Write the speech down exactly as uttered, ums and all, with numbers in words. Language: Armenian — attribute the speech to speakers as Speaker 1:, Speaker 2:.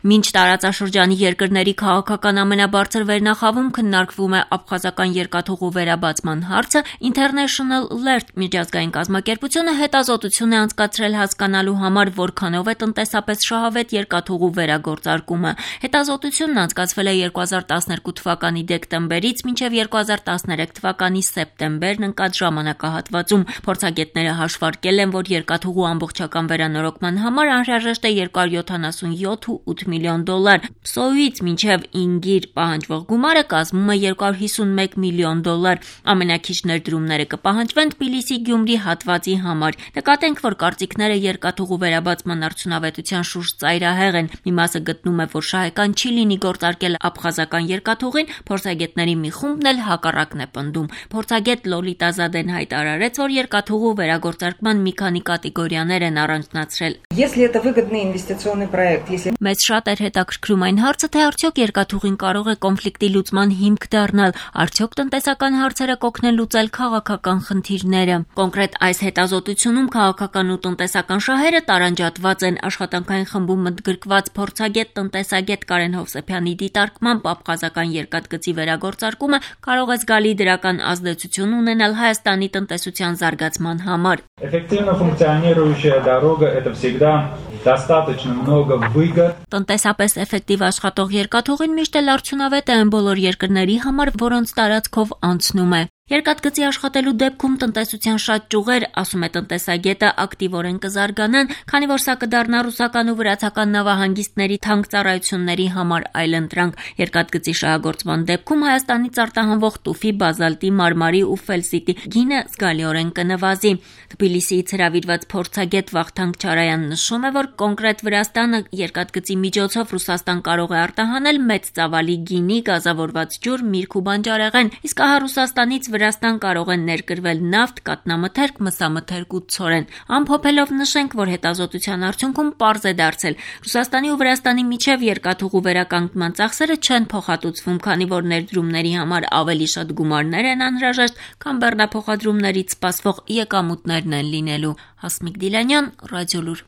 Speaker 1: Մինչ տարածաշրջանի երկրների քաղաքական ամենաբարձր վերնախավում քննարկվում է աբխազական երկաթուղու վերաբացման հարցը, International Alert միջազգային կազմակերպությունը հետազոտություն է անցկացրել հասկանալու համար, որքանով է տնտեսապես շահավետ երկաթուղու վերագործարկումը։ Հետազոտությունն անցկացվել է երկու հազար տասներկու թվականի դեկտեմբերից մինչև երկու հազար տասներեք թվականի սեպտեմբերն ընկած ժամանակահատվածում։ Փորձագետները հաշվարկել են, որ երկաթուղու ամբողջական վերանորոգման համար անհրաժեշտ է երկու հարյուր յոթանասունյոթ կόμμα ութ միլիոն դոլար։ Սոյուից մինչև Ինգիր պահանջվող գումարը կազմում է երկու հարյուր հիսունմեկ միլիոն դոլար։ Ամենաքիչ ներդրումները կպահանջվեն Թբիլիսի-Գյումրի հատվածի համար։ Նկատենք, որ կարծիքները երկաթուղու վերաբացման արդյունավետության շուրջ ծայրահեղ են։ Մի մասը գտնում է, որ շահեկան չի լինի գործարկել աբխազական երկաթուղին, փորձագետների մի խումբն էլ հակառակն է պնդում։ Փորձագետ Լոլիտա Զադեն հայտարարեց, որ երկաթուղու վերագործարկման մի քանի կատեգորիաներ են առանձնացրել։
Speaker 2: Если это выгодный инвестиционный проект, если
Speaker 1: Մեզ շատ էր հետաքրքրում այն հարցը, թե արդյոք երկաթուղին կարող է կոնֆլիկտի լուծման հիմք դառնալ, արդյոք տնտեսական հարցերը կօգնեն լուծել քաղաքական խնդիրները։ Կոնկրետ այս հետազոտությունում քաղաքական ու տնտեսական շահերը տարանջատված են։ Աշխատանքային խմբում ընդգրկված փորձագետ տնտեսագետ Կարեն Հովսեփյանի դիտարկմամբ աբխազական երկաթգծի վերագործարկումը կարող է զգալի դրական ազդեցություն ունենալ Հայաստանի տնտեսության զարգացման համար։
Speaker 3: Эффективно функционирующая дорога – это всегда достаточно много выгод.
Speaker 1: Տնտեսապես էֆեկտիվ աշխատող երկաթուղին միշտ էլ արդյունավետ է այն բոլոր երկրների համար, որոնց տարածքով անցնում է։ Երկաթգծի աշխատելու դեպքում տնտեսության շատ ճյուղեր, ասում է տնտեսագետը, ակտիվորեն կզարգանան, քանի որ սա կդառնա ռուսական ու վրացական նավահանգիստների թանկ ծառայությունների համար այլընտրանք։ Երկաթգծի շահագործման դեպքում Հայաստանից արտահանվող տուֆի, բազալտի, մարմարի ու ֆելսիտի գինը զգալիորեն կնվազի։ Թբիլիսիից հրավիրված փորձագետ Վախթանգ Չարայանն նշում է, որ կոնկրետ Վրաստանը երկաթգծի միջոցով Ռուսաստան կարող է արտահանել մեծ ծավալի գինի, գազավորված ջուր, միրգ ու բանջարեղեն, իսկ ահա Ռուսաստանից Վրաստան կարող են ներկրվել նավթ, կաթնամթերք, մսամթերք ու ցորեն։ Ամփոփելով նշենք, որ հետազոտության արդյունքում պարզ է դարձել, Ռուսաստանի ու Վրաստանի միջև երկաթուղու վերականգնման ծախսերը չեն փոխհատուցվում, քանի որ ներդրումների համար ավելի շատ գումարներ են անհրաժեշտ, քան բեռնափոխադրումներից սպասվող եկամուտներն են լինելու։ Հասմիկ Դիլանյան, Ռադիոլուր։